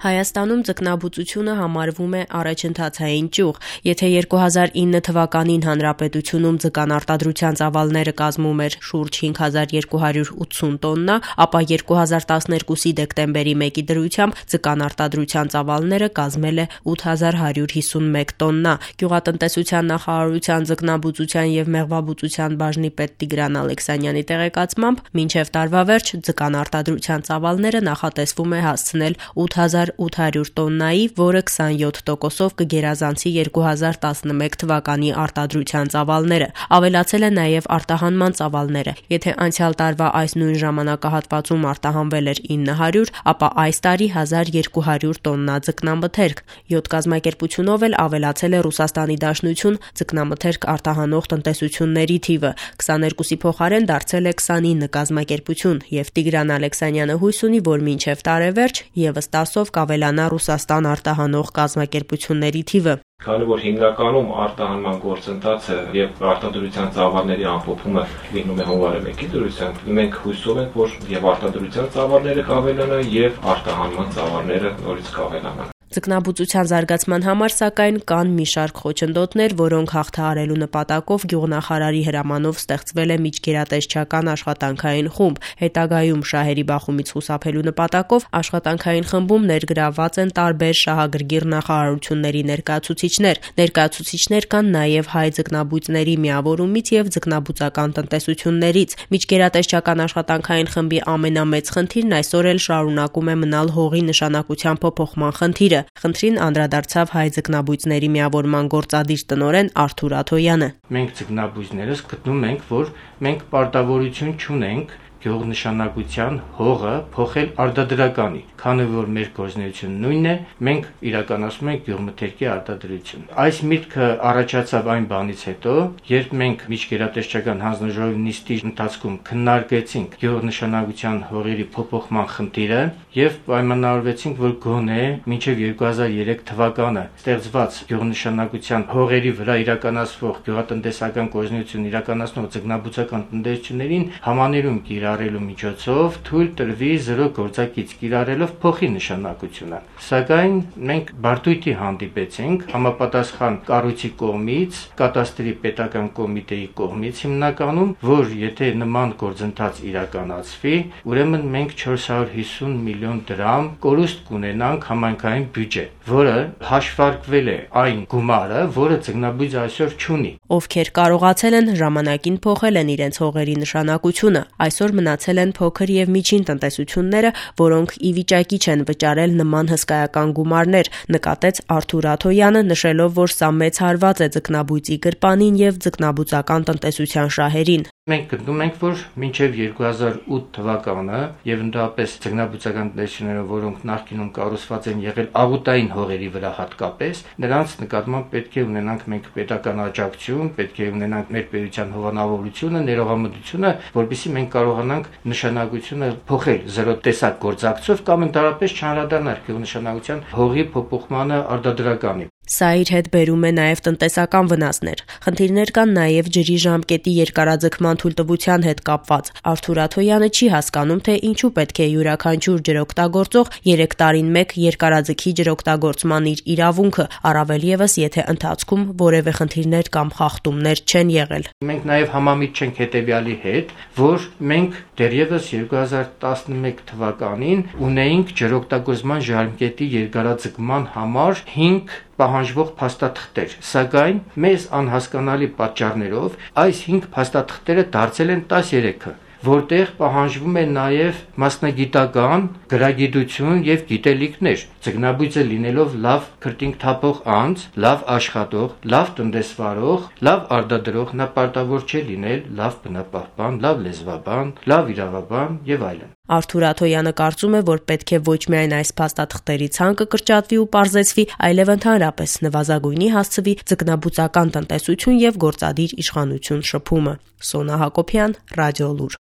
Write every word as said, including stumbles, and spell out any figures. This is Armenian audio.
Հայաստանում ձկնաբուծությունը համարվում է առաջընթացային ճյուղ։ Եթե երկու հազար ինը թվականին հանրապետությունում ձկան արտադրության ծավալները կազմում էր շուրջ հինգ հազար երկու հարյուր ութսուն տոննա, ապա երկու հազար տասներկուսի դեկտեմբերի մեկի դրությամբ ձկան արտադրության ծավալները կազմել է ութ հազար հարյուր հիսունմեկ տոննա։ Գյուղատնտեսության նախարարության ձկնաբուծության և մեղվաբուծության բաժնի պետ Տիգրան Ալեքսանյանի տեղեկացմամբ, մինչև տարվա վերջ ձկան արտադրության ծավալները նախատեսվում է հասցնել ութ հազար ութ հարյուր տոննայի, որը քսանյոթ տոկոսով կգերազանցի երկու հազար տասնմեկ թվականի արտադրության ծավալները։ Ավելացել է նաև արտահանման ծավալները։ Եթե անցյալ տարվա այս նույն ժամանակահատվածում արտահանվել էր ինը հարյուր, ապա այս տարի հազար երկու հարյուր տոննա ձկնամթերք։ Յոթ կազմակերպությունով էլ ավելացել է Ռուսաստանի Դաշնություն ձկնամթերք արտահանող տնտեսությունների թիվը։ քսաներկուսի փոխարեն դարձել է քսանինը կազմակերպություն, և Տիգրան Ալեքսանյանը հույս ունի, որ մինչև տարեվերջ ևս տասով կավելանա Ռուսաստան արտահանող կազմակերպությունների թիվը։ Քանի որ հիմնականում արտահանման գործընթացը եւ արտադրության ծավալների ամփոփումը լինում է հունվարի մեկի դրությամբ, մենք հույսով ենք, որ եւ արտադրության ծավալները կավելանան եւ արտահանման ծավալները նորից կավելանան։ Ձկնաբուծության զարգացման համար, սակայն, կան մի շարք խոչընդոտներ, որոնք հաղթահարելու նպատակով գյուղնախարարի հրամանով ստեղծվել է միջգերատեսչական աշխատանքային խումբ։ Հետագայում շահերի բախումից խուսափելու նպատակով աշխատանքային խմբում ներգրավված են տարբեր շահագրգիռ նախարարությունների ներկայացուցիչներ։ Ներկայացուցիչներ կան նաև Հայ ձկնաբույծների միավորումից և ձկնաբուծական տնտեսություններից։ Միջգերատեսչական աշխատանքային խմբի ամենամեծ խնդիրն այսօր էլ շարունակում է մնալ հողի նշանակության փոփոխման խնդիրը։ Խնդրին անդրադարձավ Հայ ձկնաբույծների միավորման գործադիր տնօրեն Արթուր Աթոյանը։ Մենք ձկնաբույծներս գտնում ենք, որ մենք պարտավորություն չունենք գյուղնշանակության հողը փոխել արտադրականի, քանի որ մեր գործունեությունը նույնն է, մենք իրականացնում ենք գյուղմթերքի արտադրություն։ Այս միտքը առաջացավ այն բանից հետո, երբ մենք միջգերատեսչական հանձնաժողովի նիստի ընթացքում քննարկեցինք գյուղնշանակության հողերի փոփոխման խնդիրը եւ պայմանավորվեցինք, որ գոնե մինչեւ երկու հազար երեք թվականը ստեղծված գյուղնշանակության հողերի վրա իրականացվող գյուղատնտեսական գործունեություն իրականացնող ձկնաբուծական տնտեսություններին համաներում կիրառելու միջոցով թույլ տրվի զրո գործակից կիրառելով փոխի նշանակությունը։ Սակայն մենք բարդույթի հանդիպեցինք համապատասխան կառույցի կողմից, կատաստրի պետական կոմիտեի կողմից հիմնականում, որ եթե նման գործընթաց իրականացվի, ուրեմն մենք չորս հարյուր հիսուն միլիոն դրամ կորուստ կունենանք համայնքային բյուջե, որը հաշվարկվել է այն գումարը, որը ձկնաբույծը այսօր չունի։ Ովքեր կարողացել են, ժամանակին փոխել են իրենց հողերի նշանակությունը։ Այսօր մնացել են փոքր և միջին տնտեսությունները, որոնք ի վիճակի չեն վճարել նման հսկայական գումարներ, նկատեց Արթուր Աթոյանը, նշելով, որ սա մեծ հարված է ձկնաբույծի գրպանին և ձկնաբուծական տնտեսության շահերին։ Մենք գտնում ենք, որ մինչև երկու հազար ութ թվականը եւ ընդհանրապես ձկնաբուծական տնտեսությունները, որոնք նախկինում կառուցված են եղել աղուտային հողերի վրա հատկապես, նրանց նկատմամբ պետք է ունենանք մենք պետական աջակցություն, պետք է ունենանք մեր պետության հովանավորությունը, ներողամտությունը, որպեսզի մենք կարողանանք նշանակությունը փոխել զրո տեսակ գործակցով կամ ընդհանրապես չանդրադառնալ գյուղնշանակության հողի փոփոխմանը արտադրականի։ Սա իր հետ բերում է նաև տնտեսական վնասներ։ Խնդիրներ կան նաև ջրի ժամկետի երկարաձգման թույլտվության հետ կապված։ Արթուր Աթոյանը չի հասկանում, թե ինչու պետք է յուրաքանչյուր ջրօգտագործող երեք տարին մեկ երկարաձգի ջրօգտագործման իր իրավունքը, առավել ևս եթե ընթացքում որևէ խնդիրներ կամ խախտումներ չեն եղել։ Մենք նաև համամիտ չենք հետևյալի հետ, որ մենք դեռևս երկու հազար տասնմեկ թվականին ունեինք ջրօգտագործման ժամկետի երկարաձգման համար հինգ պահանջվող փաստաթղթեր, սակայն մեզ անհասկանալի պատճառներով այս հինգ փաստաթղթերը դարձել են տասներեքը, որտեղ պահանջվում է նաև մասնագիտական գրագիտություն եւ գիտելիքներ։ Ձկնաբույծը լինելով լավ քրտինք թափող անձ, լավ աշխատող, լավ տնտեսվարող, լավ արտադրող, նա պարտավոր չէ լինել լավ բնապահպան, լավ լեզվաբան, լավ իրավաբան եւ այլն։ Արթուր Աթոյանը կարծում է, որ պետք է ոչ միայն այս փաստաթղթերի ցանկը կրճատվի ու պարզեցվի, այլև ընդհանրապես նվազագույնի հասցվի ձկնաբուծական տնտեսություն եւ գործադիր իշխանություն շփումը։ Սոնա Հակոբյան, Ռադիոլուր։